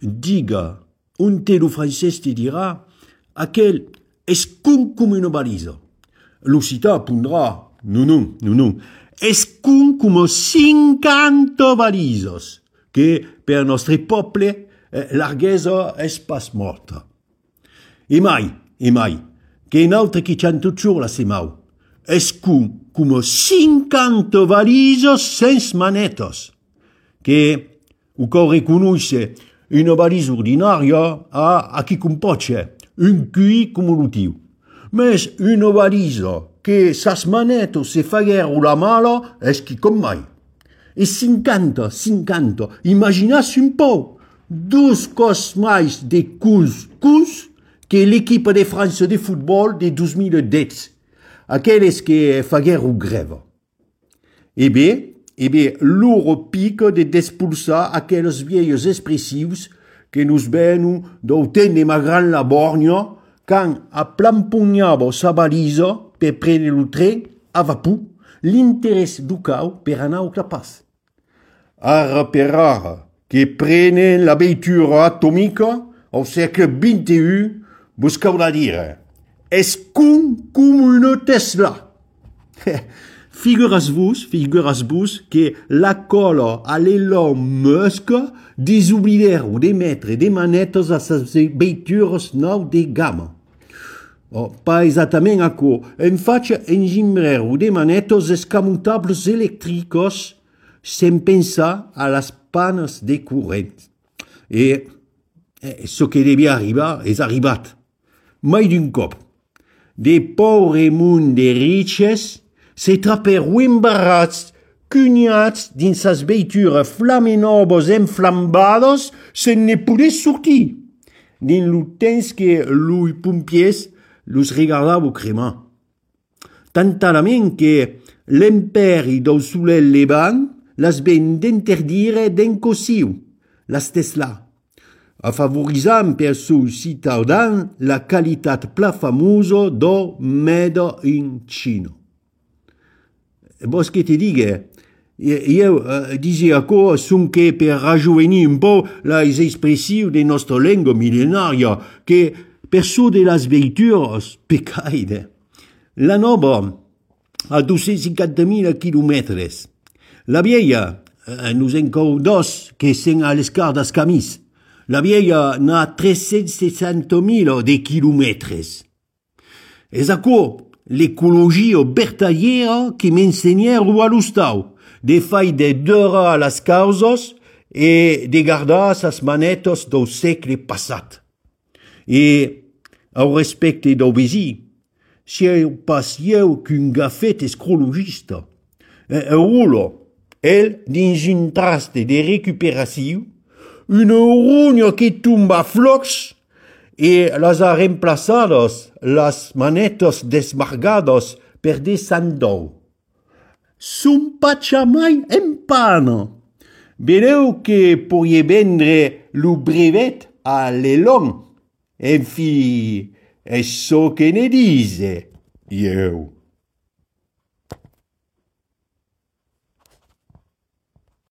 diga, un telo francès te dirà, aquel és com una balisa. L'occità pondrà, non, és com 50 balises, que per nostre poble larghesa és pas morta. E mai, que un altre qui c'han tot la semau, és com 50 balises sense manetes, que o cau reconosce una balisa ordinària a qui compotxe, un QI cumulatiu. Mes una balisa que sas manetes se faguero la mala és qui com mai. E 50, imaginassi un po', dos cos mais de cus que l'equipa de França de futbol de 2010, aquelles que faguero greva. E bé, loro pica de despulsar aquelles vieilles expressius que nos venu d'autent de Magran la Borgna quand aplampugnava sa balisa per prendre lo tren a vapor l'interès du cau per anar au clapas. Ara per ara, que prenen la veitura atomica au segle XXI, vos caurà dire, és com una Tesla. Figuras-vos que la cola a l'Elon Musk desoblidero de mettre de manetes a ses veituras nou de gamma. Pas exactament aquò, en faig engimbreiro de manetes escamutables electricos sem pensar a las panes de corrent. E ce que devia arribar és arribat. Mai d'un cop. De paure munt de riches se trapero embarrats, cunyats dins sas veitures flamenobos enflambades sen ne poder sortir. Din lo temps que lui pompiers los regardavo cremar. Tantalament que l'imperi del solel levant las ven d'interdire d'encosiu, las Tesla, afavorisant per seu ciutadans la qualitat pla famosa do Made in China. Vos che te diga, io dizia co sonque per rajovenir un po' les expressius de nostra lengua millenaria, que per so de las veituras pecaide. La nova a 250.000 kilometres. La vieja, nous encau dos que sen a l'escar das camis. La vieja n'a 360.000 de kilometres. És aquò l'ecologia vertadiera que m'ensenyero a l'hostau, de fai de dura las causes e de guardar sas manetes del segle passat. E, au respecte del vesí, si pas eu qu'un gafet escrologista, roulo, el dins un traste de recuperació, una rugna que tomba a flocs e las ha reemplaçades las manetes desmargades per de sandou. Son patxa mai en pana. Vedeu que porie vendre lo brevet a l'Elon. En fi, és so que ne dice, eu.